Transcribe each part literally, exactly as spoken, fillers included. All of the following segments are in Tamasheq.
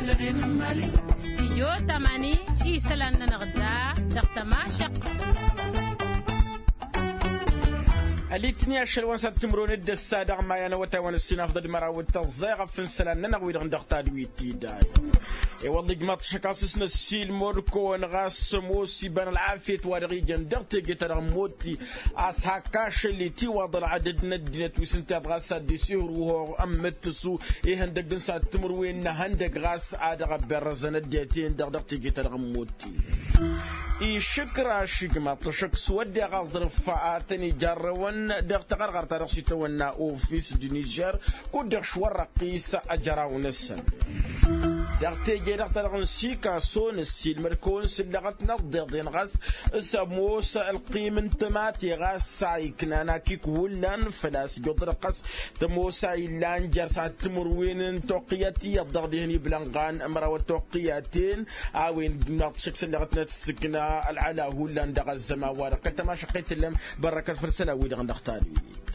Stijyo tamani isălan-nănăɣ da dăɣ-tămašăq. Ălitni ašăl wa n-sat timǝrwen d-ăssa dăɣ-maya n-awătay wa n-ǝssin afḍăd măraw d-tăẓẓay ɣăf n-isălan-nănăɣ wi-dăɣ dăɣ-tadwit tidad. I-wălla ijmaḍ-t ašăk a-s s-năssiilmăr-kăwăn ɣas ămoos iba n-ălɣafyăt wa dăɣ-ijăn dăɣ-teje-ta-dăɣ n-motti a-s hakk ašăl itiwaḍ ălɣadăd n-ăddinăt wi s-ǝnta i-ad-ɣas ad-dd-isihǝrwǝhoɣ ămmǝttǝsu ihăndăgg n-sat timǝrwen n-ehăndăgg ɣas a dăɣ-ăbberrăzăn ăddinăt-en-dăɣ dăɣ-teje-ta-dăɣ n-motti. Išǝkraš ijmaḍ-t ašăk s-wădden aẓrǝf a tăn-ijarrăwăn dăɣ-taɣărɣart ta dăɣ-s itawănna ofis d-nižer kud-dăɣ šwărrăqqis ajăraw-năsăn. Dăɣ-teje-dăɣ ta dăɣ-nǝsikaso nǝssilmăd-kăwăn s-ǝllăɣăt n-ăḍḍeḍen ɣas s-ămoos ălqim n-tămate ɣas a iknan akik hullan făl-a-s ǝjjuḍ-dăɣ ɣas tămoos a illan jer-sat timǝrwen n-toqqǝyăt iyyăḍ dăɣ-dihăn iblănɣan măraw ătoqqǝyaten a-wen dăɣ-t šăkk s-ǝllăɣăt n-ad-tǝssǝkna ălɣăla hullan dăɣ-ăzzăman-wa-dăɣ kăl-tămašăqqet tǝllăm bărrăkăt făll-isălan-wi-dăɣ n-dăɣ-tadwit.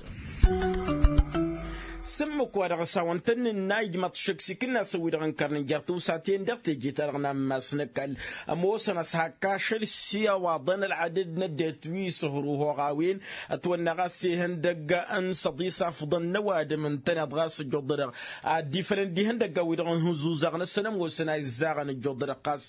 S-ǝmmǝk-wa-dăɣ s-hawăn-tăn-nǝnna ijmăḍ-t šăkk s-ikǝnnasăn-wi-dăɣ ǝnkărnen jer-tiwsaten dăɣ-teje-ta-dăɣ n-ammas n-ăkall ămoosăn a-s hakk ašăl s-i-ăwaḍăn ălɣadăd n-ăddinăt wi s-hăruhoɣ a-wen ătwănna ɣas ihăndăgg n-săḍis afḍăn n-ăwadǝm ǝntăneḍ ɣas ǝjjuḍ-dăɣ ad-dd-ifălăn d-ihăndăgg a-wi-dăɣ n-hǝzuzăɣ năsăn ămoosăn a izzaɣăn ǝjjuḍ-dăɣ ɣas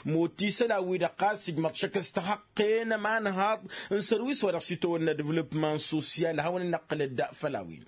mot isălan-wi-dăɣ ɣas ijmăḍ-t šăkk s-tihăqqen ămanhaḍ n-sărwis-wa-dăɣ s-itawănna devlopman sosyal hawăn-ănnăqqǝlăd făll-a-wen.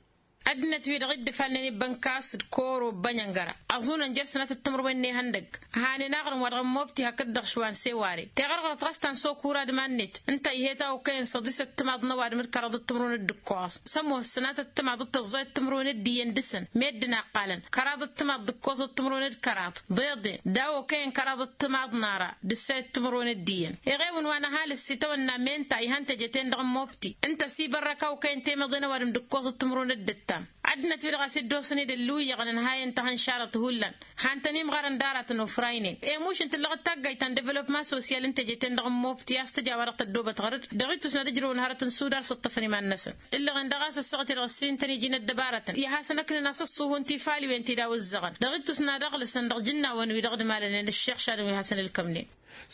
Ăddinăt-wi-dăɣ iddǝfalnen ibbănkas d-koro bănyăngăra ăẓunăn jer-sănatăt timǝrwen n-ihăndăgg hanen aɣrǝm-wa-dăɣ n-mobti hakd-dăɣ šwa n-seware teɣărɣărt ɣas ta n-sokura d-iman-net ǝnta ih'-e tawăkkăyăn săḍisăt timaḍ n-ăwadǝm d-kăraḍăt timǝrwen d-ǝkkoẓ s-ămoos sănatăt timaḍ d-tăẓẓayăt timǝrwen d-iyyăn dăɣ-săn meddǝn a ǝqqalăn kăraḍăt timaḍ d-ǝkkoẓăt timǝrwen d-kăraḍ ḍeḍen daw-okăyăn kăraḍăt timaḍ n-ara d-ǝssayăt timǝrwen d-iyyăn. Iɣewăn wa n-ăhalǝs itawănna menta ihăn teje-ten-dăɣ n-mobti ǝnta s-ibărrăk a okăyăn temeḍe n-ăwadǝm d-ǝkkoẓăt timǝrwen d-ǝttam. Ăddinăt-wi-dăɣ a-s dd-osăn-dd ălluyyăɣăn ǝnhayăn tăhănšarăt hullan han-tăn-imɣarăn d-aratăn ofraynen emuš n-tǝllăɣ d-taggayt ta n-developma sosyal n-teje-ten-dăɣ n-mobti a-s tǝja wa-dăɣ tăddobăt ɣăr-dd dăɣ-ittus n-ad-ǝjrăwăn hărăt n-sudar s-ǝṭṭăfăn iman-năsăn. Ǝllăɣen daɣ a-s ăssaɣăt-i-dăɣ ǝssin tăn-iji n-ăddăbarătăn i-ad-hasăn-ăknen a-s ăṣṣuhu n-tifaliwen ti daw-ǝzzăɣăn dăɣ-ittus n-ad-ăɣlǝsăn dăɣ-ijǝnnawăn wi dăɣ-dd-malănen ăššixšadăn wi hasăn-ǝlkămnen.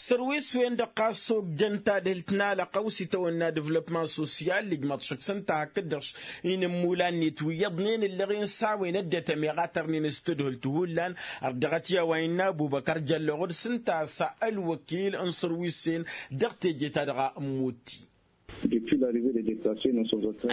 Sărwis-wen-dăɣ ɣas s-ogdăn tadhǝlt n-alăqqăw s-itawănna devlopman sosyal ijmaḍ šăkk s-ǝnta hakd-dăɣ inǝmmulan-net wi iyyăḍnen ǝllăɣen s-a-wen ăddinăt ămeɣ a tărnen s-tadhǝlt hullan. Ărdăɣăt i-a-wa innă ăbubăkăr jălloɣ d-s ǝnta a-s ălwăkil n-sărwis-en dăɣ-teje-ta-dăɣ a ămmutti.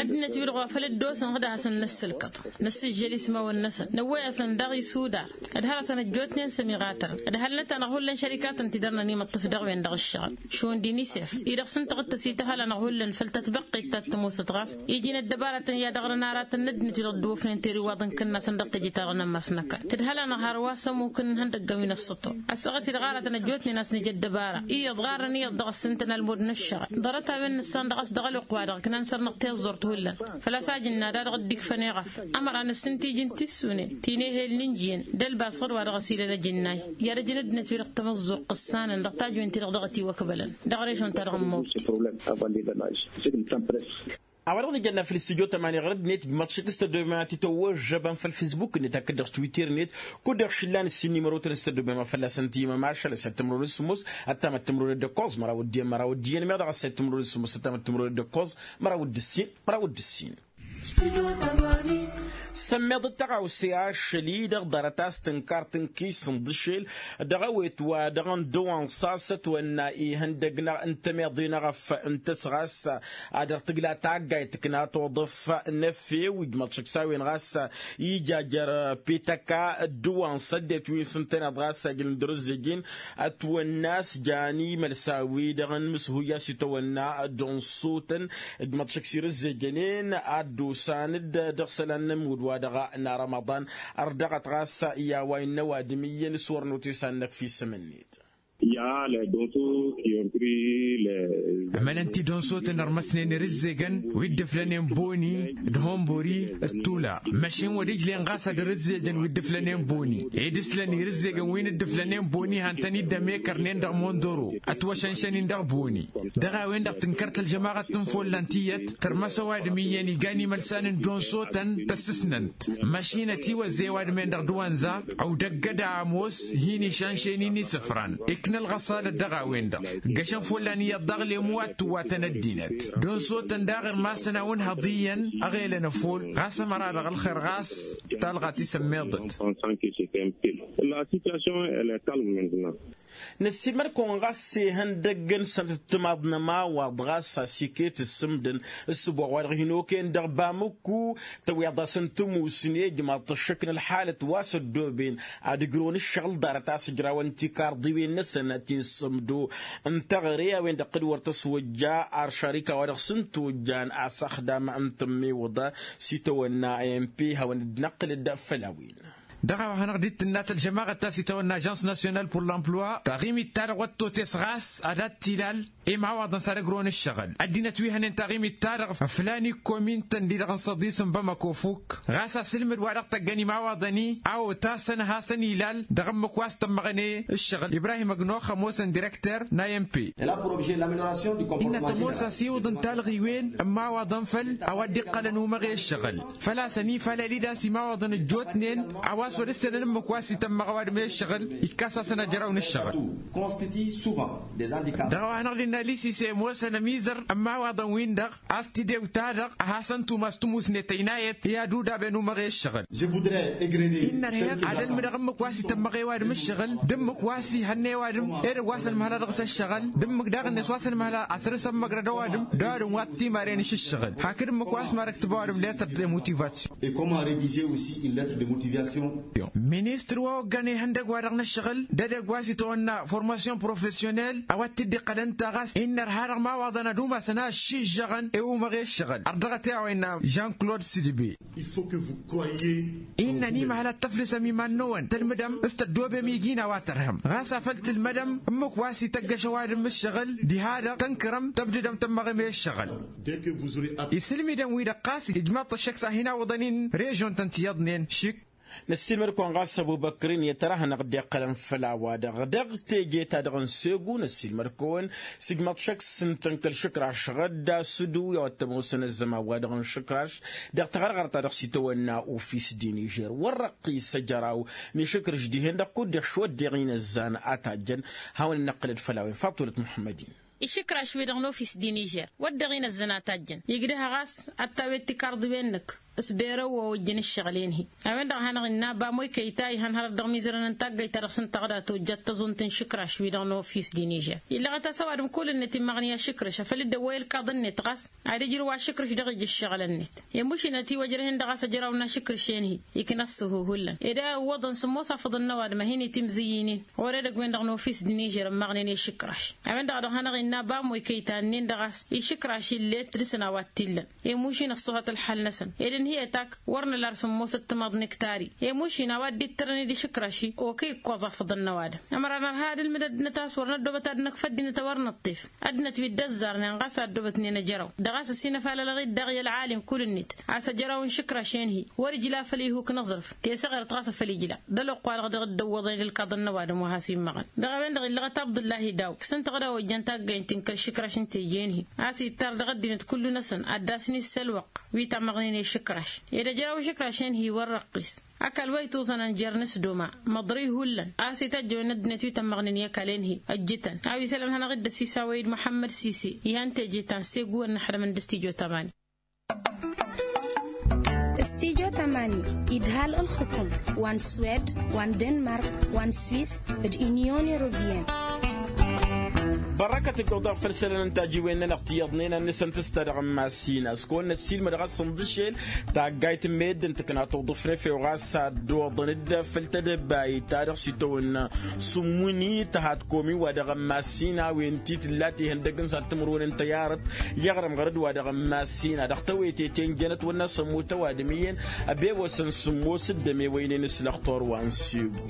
Ăddinăt-wi-dăɣ wa făl dd-osăn ad-hasăn-năssǝlkăḍ năssǝžžăl ismawăn-năsăn năwwăy-asăn daɣ isudar d-hărătăn ăjjootnen s-ămiɣatărăn ădhălnăt-anăɣ hullan šărikatăn ti dăr-nănimăṭṭǝf dăɣ-wen dăɣ-ǝššăɣǝl šund inisef-i-dăɣ s-ǝnta ɣǝttăs ităhăl-anăɣ hullan făll-tătbăqqet ta t-ămoosăt ɣas iji n-ăddăbarătăn i-ad-ăɣrǝn aratăn n-ăddinăt-wi-dăɣ dd-wăfnen teriwaḍ n-kǝnnasăn dăɣ-teje-ta-dăɣ n-ammas n-ăkall tǝdhăl-anăɣ hărwa s-ămuk n-ihăndăggăn wi n-ăssăṭṭo. Ăssaɣăt-i-dăɣ aratăn ăjjootnen a-s nǝj ăddăbara iyyăḍ ɣarrăn iyyăḍ dăɣ-ăssintăn ălmud n-ǝššăɣǝl ḍarăt-a-wen nǝssan dăɣ-s dăɣ-ălwăqq-wa-dăɣ ǝknan săr-năɣ tiẓẓurt hullan. Făl-a-s a ijǝnna da-dăɣ dd-ikfăn eɣăf ămăra nǝssin tijǝnt tissunen ti n-ehel n-injǝyăn d-ălbas ɣur-wa dăɣ-s ila ălăjǝnnay i-ad-ăjǝn ăddinăt-wi-dăɣ tamăẓẓuɣt ǝssanăn dăɣ-tajwen-ti-dăɣ dăɣ-ătiwăkbălăn dăɣ-režon-ta-dăɣ n-mobti. A-wa dăɣ-nǝjănna făll-s stujo tămani ɣur-ăddinăt ijmaḍ šik s-tăddoben ad-t-tăwwăžžăbăn făll-fisbuk-net hakd-dăɣ s-twitter-net. Kud-dăɣ šillan ǝssin n-imărotăn s-tăddoben ma fălla-săn timămašal ăsat timǝrwen s-sǝmmos ăttamăt timǝrwen d-ǝkkoẓ măraw d-iyyăn măraw d-iyyăn meɣ dăɣ-ăsat timǝrwen s-sǝmmos ăttamăt timǝrwen d-ǝkkoẓ măraw d-ǝssin măraw d-ǝssin. Sămmeḍ d-tăɣawse ašăl-i-dăɣ ḍarăt a-s tǝnkar tǝnkis n-dăšel dăɣ-ewet wa dăɣ-n dăwansa s-ătwănna ihăndăgg n-tămeḍe n-eɣăf n-tăsɣas. Ad-dăɣ-tǝgla taggayt tǝkna toḍăf n-efew ijmăḍ šăkk s-a-wen ɣas ija jer-petăka ăddăwansa ăddinăt wi n-sǝntăneḍ ɣas ajǝlǝm d-rǝzzejin ătwănna a-s jan imălsa-wi-dăɣ n-imǝshuyya a-s itawănna d-ănṣutăn. Ǝjmăḍ šăkk s-irǝzzejănen ad-dd-osan-dd dăɣ-isălan n-ămudd-wa-dăɣ n-arămăḍan. Ărdăɣăt ɣas i-a-wa innă ăwadǝm iyyăn s-wăr năwăt i-săn-năkf isǝm-net. Ămănăn-t-dd onsotăn ărmăsnen irǝzzegăn wi dd-ǝflănen boni d-honbori d-tula. Măšin wăr-ijlen ɣas ad-irǝzzejăn wi dd-ǝflănen boni ed ǝslăn irǝzzegăn wi n-dd-ǝflănen boni han-tăn-dd-ămekărnen dăɣ-mondoro ătwăšănšăn-in dăɣ-boni. Dăɣ-a-wen-dăɣ tǝnkăr-t ălžămaɣăt n-follan tiyyăt tărmăs ăwadǝm iyyăn igan imălsan n-donsotăn tăssǝsnăn-t. Măšin ătiwăzze ăwadǝm-en-dăɣ d-wănza ăwdăggăd a ămoos hin-išanšăyăn-in isǝfran ikna ălɣăṣalăt dăɣ-a-wen-dăɣ. Ǝggăšăn follan iyyăḍ daɣ lemu wa t-tǝwwatăn ăddinăt d-onsotăn daɣ irmasăn a-wa ǝnhăḍ iyyăn ăɣelăn ăfol ɣas ămăra-dăɣ ălxer ɣas talɣa tisămmeḍăt. La situation elle est calme maintenant. Năssiilmăd-kăwăn ɣas ihăndăgg n-sănăt ăttămaḍ n-ămawaḍ ɣas a-s iket ǝssǝmdăn ǝssǝbo a-wa-dăɣ hin-okăyăn dăɣ-bamǝkku tăwweḍ-asăn tǝmusne ijmaḍ-t ăššăk n-ălḥalăt wa s-ăddooben ad-ǝjrăwăn ǝššăɣǝl ḍarăt a-s ǝjrawăn tikarḍiwen-năsăn ti n-sǝmdo n-teɣăre a-wen-dăɣ kăd-wăr tăswăjja ar šarika wa dăɣ-s n-tojjan asăxdam n-tǝmmiwǝḍa s-itawănna a n p hawăn-dd-năqqǝlăd făll-a-wen. Dăɣ-a-wa hanăɣ-dd-tǝnna tălžămaɣăt ta s-itawănna ažans nasyonal pur l-emploi taɣimit-ta-dăɣ wăr t-totes ɣas ad-ad-t-ilal imawaḍăn s-ad-ăgrăwăn ǝššăɣǝl ăddinăt wi hănen taɣimit-ta-dăɣ ăflan ikkomin-tăn-di-dăɣ n-săḍis n-bamăko fukk ɣas asǝlmǝd wa dăɣ-tăggăn imawaḍăn-i a otasăn ad-hasăn-ilal dăɣ-ǝmmǝk wa s-tămmăɣăn i-ǝššăɣǝl ibrahim ăgnox ămoosăn direkter n-a n p. Innă tămoos asiwǝḍ n-talɣiwen n-imawaḍăn făll-a-wa dd-iqqălăn umăɣ i-ǝššăɣǝl făl-a-s ănifalăl-dd a-s imawaḍăn ăjjootnen a-wa s-wăr-ǝssenăn ǝmmǝk wa s-itămmăɣ ăwadǝm i-ǝššăɣǝl ikkas-asăn ajraw n-ǝššăɣǝl. Dăɣ-a-wa hanăɣ-dd-innă lisise ămoosăn ămizăr n-imawaḍăn-win-dăɣ a-s tidew-ta-dăɣ ad-hasăn-tumas tǝmusnet ăynayăt i-ad-udaben umăɣ i-ǝššăɣǝl. Innă ărheɣ ad-ălmǝdăɣ ǝmmǝk wa s-itămmăɣ i-ăwadǝm ǝššăɣǝl d-ǝmmǝk wa s-ihănna i-ăwadǝm edăgg wa s-ănmăhăla dăɣ-s ǝššăɣǝl d-ǝmmǝk daɣ-net wa s-ănmăhăla asăr-s ămmăgrăd ăwadǝm d-ăwadǝm wa t-imaren s-ǝššăɣǝl hakd ǝmmǝk wa s-mad-ăktǝb ăwadǝm letăr de motivasyon. Ministăr wa oggan ihăndăgg-wa-dăɣ n-ǝššăɣǝl d-edăgg wa s-itawănna formasyon profesyonel a-wa t-dd-iqqălăn taɣast innă ărha dăɣ-imawaḍăn ad-umasăn a ăššižžăɣăn i-umăɣ i-ǝššăɣǝl ărdăɣăt i-a-wa innă jean claude sidibe. Innă ănimăhăl ad-tăflǝsăm iman-năwăn tălmǝdăm s-tăddoobem iji n-a-wa tărhăm ɣas afăl tǝlmădăm ǝmmǝk wa s-ităggăš ăwadǝm ǝššăɣǝl diha-dăɣ tănkărăm tăbdǝdăm tămmăɣem i-ǝššăɣǝl. Isǝlmǝdăn-wi-dăɣ ɣas ijmaḍ-t ăššăk s-ad-hin-awǝḍăn-in režon-tăn tiyyăḍnen šik. Năssiilmăd-kăwăn ɣas ăbubăkr-in i-ad-tăr-ad-hanăɣ-dd-iqqălăn făll-a-wa-dăɣ dăɣ-teje-ta-dăɣ n-segu năssiilmăd-kăwăn s-ijmaḍ-t šăkk s-ǝntăn kăl-išǝkraš ɣădda s-ǝdǝw i-a-wa t-ămoosăn ăzzăman-wa-dăɣ n-išǝkraš dăɣ-taɣărɣărt ta dăɣ-s itawănna ofis dinižer wăr răqqis ăjăraw n-išǝkrǝš dihen-dăɣ kud-dăɣ šwăddeɣ inăzzan a tajjăn. Hawăn-dd-năqqǝlăd făll-a-wen faṭulăt muḥămmăd-in. Išǝkraš-wi-dăɣ n-ofis dinižer wădden inăzzăn a tajjăn igdăh ɣas ad-tawed tikarḍiwen-năk s-berăwwa ojjăn ǝššăɣǝl-en-hi. A-wen-dăɣ a hanăɣ-innă bamoy kăyy ta ihăn hărăt dăɣ-imizărăn n-taggayt ta dăɣ-s n-tăɣda tojjat tăẓunt n-išǝkraš-wi-dăɣ n-ofis dinižer. Illăɣăt a-s ăwadǝm kull-net immăɣnǝy ašǝkrǝš afăl dd-ăwwăy ălkaḍ-net ɣas ad-ijrǝw ašǝkrǝš dăɣ-ija ǝššăɣǝl-net. Emušin ătiwăjrăh-in-dăɣ a-s ăjraw n-ašǝkrǝš-en-hi ikna ăssǝhu hullan ed a ǝwwăḍăn sǝmmos afǝḍăn n-ăwadǝm a hin-itimzǝyyǝynen ɣur-edăgg-wen-dăɣ n-ofis dinižer ǝmmăɣnen i-ašǝkraš. A-wen-dăɣ a dăɣ-hanăɣ-innă bamoy kăyy ta ǝnnin-dăɣ a-s išǝkraš illet dăr-săn a-wa t-illăn. Emušin ăṣṣuhăt ălḥal-năsăn ed ǝnhǝyăt ak wăr nǝla ar sǝmmos ăttămaḍ n-iktari. Emušin a-wa dd-ittărăn d-išǝkraš-i okăy ǝkkoẓ afǝḍăn n-ăwadǝm. Ămăra nărha ad-ǝlmǝd ăddinăt a-s wăr năddobăt ad-năkf ăddinăt a wăr nǝṭṭef. Ăddinăt wi dd-ăzzarnen ɣas a ăddobătnen ăjăraw dăɣ-a-s ăsinăfalălăɣ-dd daɣ i-ălɣalim kull-net a-s ăjăraw n-išǝkraš-en-hi. Wăr-ijla făll-ihuk n-aẓrǝf tesăɣert ɣas a făl ijla d-ăloqq-wa-dăɣ dăɣ-dd-ăwwăḍen ǝlkaḍăn n-ăwadǝm wa has-immăɣăn. Dăɣ-a-wen-dăɣ illăɣăt abdullahi daw s-ǝnta ɣǝd a ojjăn taggăynt n-kăl-išǝkraš n-teje-en-hi a-s ittar dăɣ-ăddinăt kullu-năsăn ad-dd-asǝn isălwăqq wi tammăɣnen i-išǝkraš. Ed ăjraw išǝkraš-en-hi wăr răqqis. Ăkall wa ituẓănăn jer-inǝsdoma măḍrǝy hullan a-s itajjăwen ăddinăt wi tămmăɣnen i-ăkall-en-hi ăjjǝtăn a-wa isălan hanăɣ-dd-ăsisawăy d-muḥămmăd sisi ihăn teje ta n-segu ănnăxdămăn d-stijo tamani. Stijo tamani idhal ǝlxǝkǝm wa n-swed wa n-denmark wa n-swis d-inyon europeyăn. Bărrăkăt ǝjjuḍ-aɣ făll-isălan n-tajiwen-nănăɣ ti iyyăḍnen ad-nǝsăn tǝsta dăɣ-n massina s-kăwăn-năssiilmăd ɣas ǝnḍǝšel. Tagga itǝmmeyăd d-ǝntǝkna tuḍǝf n-efew ɣas ad-dd-oḍăn-dd făll-tedăbayt ta dăɣ-s itawănna s-ǝmmǝni tăhat komi wa dăɣ-n massina a-wen ti tǝlla tihăndăg n-sat timǝrwen n-tăyarăt. I-aɣrǝm ɣărăd wa dăɣ-n massina dăɣ-tewetete n-jănăt wănna s-ămmut ăwadǝm iyyăn. Ăbewăsăn sǝmmos dd-ămewăynen s-lăxtor wa n-segu.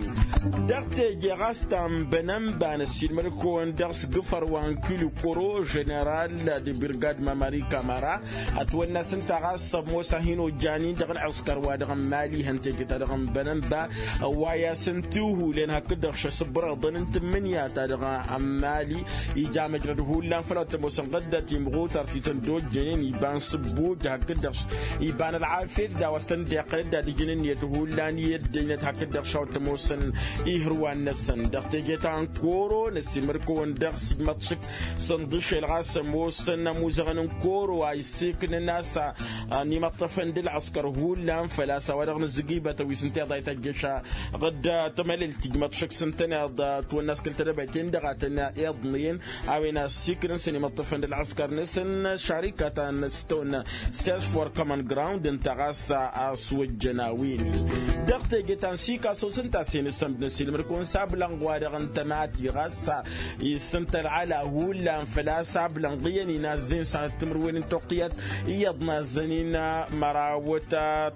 Dăɣ-teje ɣas ta n-bănănba năssiilmăd-kăwăn dăɣ-s gǝfăr wa n-kilu koro ženeral d-birgad mamari kamara. Ătwănna s-ǝnta ɣas ămoos a hin-ojjan-in dăɣ-ălɣǝskăr wa dăɣ-n mali ihăn teje ta dăɣ-n bănănba. Ăwway-asăn tihulen hakd-dăɣ šăsǝbrăḍăn n-tǝmmǝnǝya ta dăɣ-n mali. Ija măjrăd hullan făll-a-wa t-ămoosăn ɣǝdda timɣutar ti tăn-dd-ojjănen iba n-sǝbbuj hakd-dăɣ iba n-ălɣafyăt d-a-wa s-tăn-dd-iqqăl dd-ad-ǝjǝn ǝnniyăt hullan i-ăddăynăt hakd-dăɣ šaw t-ămoosăn ihǝrwan-năsăn dăɣ-teje ta n-koro năssiilmăd-kăwăn dăɣ-s ijmăḍ šăkk s-ǝnḍǝšel ɣas ămoosăn ămuzăɣăn n-koro a isseknăn a-s ănimăṭṭăfăn d-ălɣǝskăr hullan făl-a-s a-wa dăɣ-nǝzzǝgǝybătăn wi s-ǝnta iḍa ităjjăš ɣǝdd tămălelt ijmăḍ šăkk s-ǝntăneḍ. Ătwănna a-s kăl-tedăbayt-en-dăɣ a tăn-iḍnăyăn a-wen a ăssiiknăn s-ănimăṭṭăfăn d-ălɣǝskăr-năsăn šarika ta n-s tăwănna sers for common ground ǝnta ɣas a ăswăjjăn a-wen-i. Dăɣ-teje ta n-sikasos ǝnta a-s hin-ǝssămd năssiilmăd-kăwăn s-ablănɣ wa dăɣ-n tămati ɣas isǝntălɣăla hullan făl-a-s ablănɣ iyyăn-in azzăn s-ad-timǝrwen n-toqqǝyat iyyăḍ n-azzăn-in mărawăt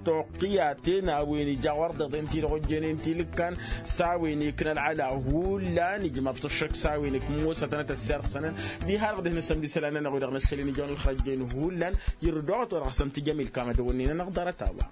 toqqǝyaten a-wen ija ɣur-dd iḍen ti-dăɣ ojjănen ti lǝkkan. S-a-wen ikna ălɣăla hullan ijmăḍ-t ăššăk s-a-wen ikmosătăn ad-t-ăssirsănăn diha-dăɣ dăh-năsăn d-isălan-nănăɣ wi-dăɣ năššălen ijăn ǝlxăjjen hullan. Irrǝd oɣăt wa-dăɣ s-ăntǝjăm ilkam ad-ăwănnen-anăɣ ḍarăt-a-wa.